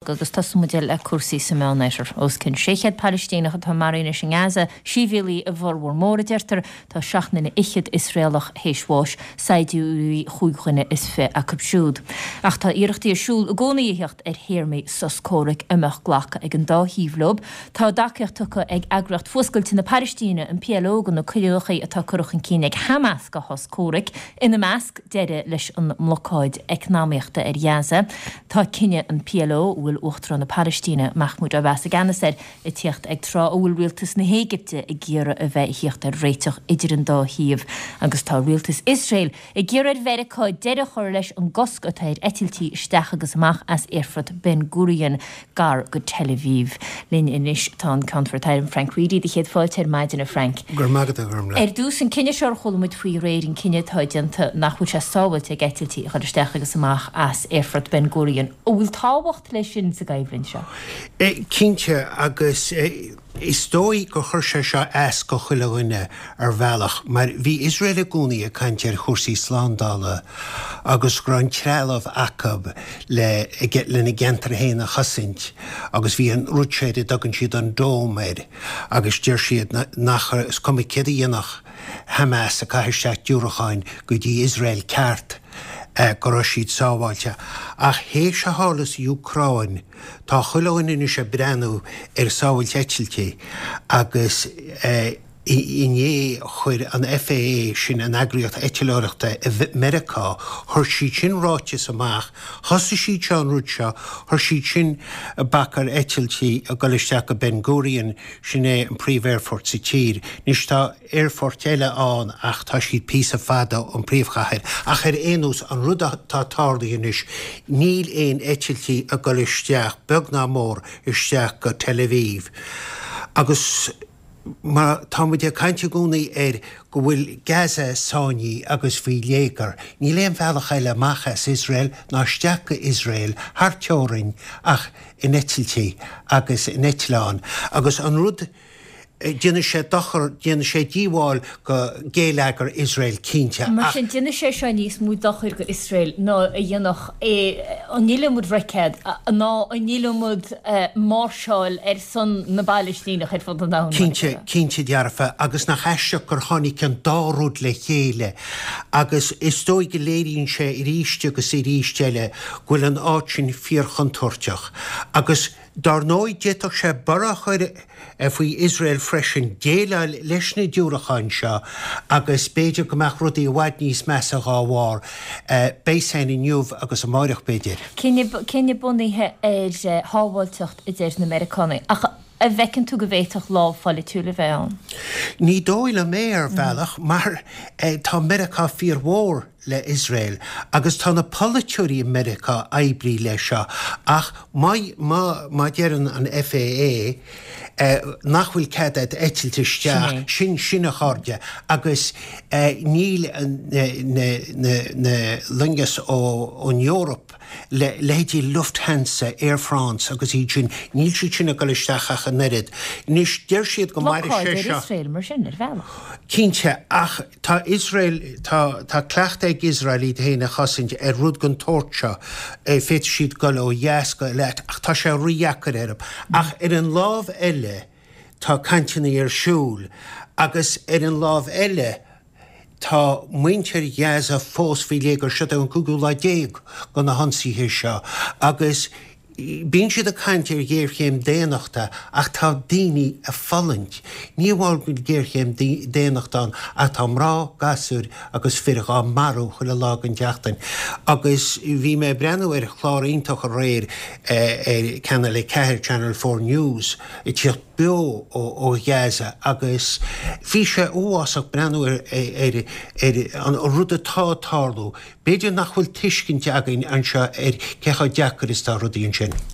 Agus tosóidh muid le cúrsaí sa Meánoirthear. Os cionn 600 Palaistíneach atá maraithe anois i nGaza, sibhialaigh a bhformhór mór, a deirtear. Tá seacht nduine fhichead Iosraelach théis bháis, saighdiúirí chúig dhuine is fi acu siúd. Ach tá iarrachtaí ar siúl i gcónaí a theacht ar théarmaí sos comhraic a mbeadh glacadh ag an dá thaobh leo. Tá tacaíocht tugtha ag Eagraíocht Fuascailte na Palaistíne, an PLO, do na coinníollacha atá curtha chun cinn ag Hamas do shos comhraic, ina measc, deireadh leis an mblocáid eacnamaíochta ar Ghaza. Tá cinneadh an PLO, a bhfuil Uachtarán na Palaistíne, Mahmoud Abbas i gceannas air, ag tíocht ag tráth a bhfuil rialtas na hÉigipte ag iarraidh a bheith ag thíocht ar réiteach idir an dá thaobh agus tá rialtas Iosrael ag iarraidh ar Mheiriceá deireadh a chur leis an gcosc atá ar eitiltí isteach agus amach as aerfort Ben Gurion gar go Tel Aviv. Linn anois tá an Ceannfort Airm Frank Reidy. Do chéad fáilte ar maidin, a Frank. Go raibh maith agat, a Ghormlaith. Ar dtús, an cinneadh seo ar chuala muid faoi aréir, an cinneadh atá déanta nach bhfuil sé sábháilte ag eitiltí a dhul isteach agus amach as aerfort Ben Gurion. An bhfuil tábhacht leis sin sa gcoimhlint seo? Cinnte, agus is dóigh gur chuir sé seo as go chuile dhuine ar bhealach, mar bhí Iosrael i gcónaí ag caint ar chúrsaí slándála agus go raibh an trealamh acu le lena gceantar féin a chosaint agus bhí an rud seo ar a dtugann siad an Dome air agus deir siad nach, is cuma céard a dhéanfadh Hamas ag caitheamh isteach diúracháin go dtí Iosrael ceart, go raibh siad sábháilte. Ach théis a tharla sa Úcráin, Tá chuile dhuine anois ag breathnú ar sábháilt eitiltí agus inné chuir an FAA, sin an eagraíocht eitleoireachta i Meiriceá, chuir siad sin ráiteas amach, thosaigh siad seo an rud seo, chuir siad sin bac ar eitiltí ag dul isteach go Ben Gurion, sin é an príomh-aerfort sa tír. Anois tá. aerfoirt eile ann ach tá siad píosa fada ón príomhchathair. Ach ar aon nós, an rud atá tarlaithe anois, níl aon eitiltí ag dul isteach, beag ná mór, isteach go Tel Aviv. Agus mar tá muid ag caint i gcónaí ar go bhfuil Gaza sáinnithe agus faoi léigear, níl aon bhealach eile amach as Iosrael ná isteach go Iosrael thar teorainn ach in eitiltí agus in eitleáin. Agus an rud. Déanfaidh sé dochar, déanfaidh sé díobháil go géilleagar Iosrael cinnte, Mar ach. sin, déanfaidh sé seo níos mó dochair go Iosrael ná a dhéanfadh an iliomad roicéad ná an iliomad máirseáil ar son na bPalaistíneach ar fud an domhain, mar a Cinnte, déarfá. cinnte dearfa, agus nach aisteach gur tháinig an dá rud le chéile agus is dóigh go léiríonn sé arís agus arís eile go bhfuil an áit sin fíorchontúirteach agus Dár ndóigh, d'fhéadfadh sé borradh a chur faoi Iosrael freisin déileáil leis na diúracháin seo agus b'fhéidir go mbeadh rudaí i bhfad níos measa dhá bharr. Beidh a fhios againn inniu agus amáireach, b'fhéidir. Cinneadh bunaithe ar shábháilteacht, a deir na Meiriceánaigh. Ach an bhfeiceann tú go bhféadfadh lámh pholaitiúil a bheith ann? Ní dóigh liom é, ar bhealach, mar tá Meiriceá fíormhór. le Iosrael agus tá na polaiteoirí i Meiriceá oibrithe leis seo ach má má má deireann an FAA nach bhfuil cead a'd eitilt isteach, sin sin a chairde agus níl na na na na loingeas ó ón Eoraip le leithéidí Lufthansa, Air France agus iad sin, níl siad sin ag dul isteach ach an oiread. Anois deir siad go mairfidh sé seo. Blocáid ar Iosrael mar sin, ar bhealach. Cinnte, ach Tá Iosrael, tá, tá cleachtadh ag Iosrael iad féin a chosaint ar rud den tsórt seo. Féadfaidh siad dul ó dheas go Eilat ach tá sé rídheacair orthu. Ach ar an lámh eile tá cainteanna ar siúl agus ar an lámh eile tá muintir Ghaza fós faoi léigear. Seo é an cúigiú lá de na hionsaithe seo agus Bíonn siad ag caint ar ghéarchéim daonnachta ach tá daoine ag fulaingt. Ní amháin go bhfuil géarchéim daonnachta ann ach tá mná, gasúir agus fir dhá marú chuile lá den tseachtain. Agus bhí mé ag breathnú ar chlár iontach aréir ar Channel 4, Channel 4 News, ag tíocht beo ó Ghaza agus bhí sé uafásach breathnú ar ar an rud atá ag tarlú. B'fhéidir nach bhfuil tuiscint againn anseo ar cé chomh deacair is atá rudaí ansin.